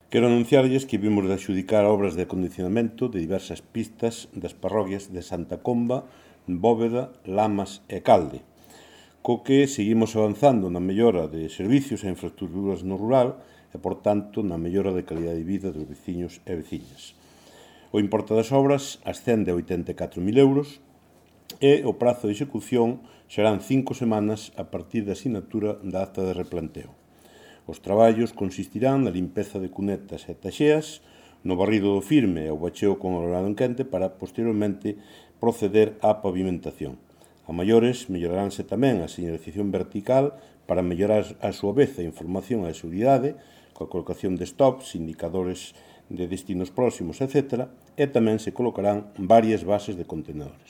Quero anunciarlles que vimos de adxudicar obras de acondicionamento de diversas pistas das parroquias de Santa Comba, Bóveda, Lamas e Calde, co que seguimos avanzando na mellora de servicios e infraestructuras no rural e, por tanto, na mellora de calidade de vida dos veciños e veciñas. O importe das obras ascende a 84.000 euros e o prazo de execución serán 5 semanas a partir da asinatura da acta de replanteo. Os traballos consistirán na limpeza de cunetas e taxeas, no barrido do firme e o bacheo con ordenado en quente para, posteriormente, proceder á pavimentación. A maiores, melloraránse tamén a señalización vertical para mellorar a súa vez a información e a seguridade, coa colocación de stops, indicadores de destinos próximos, etc. E tamén se colocarán varias bases de contenedores.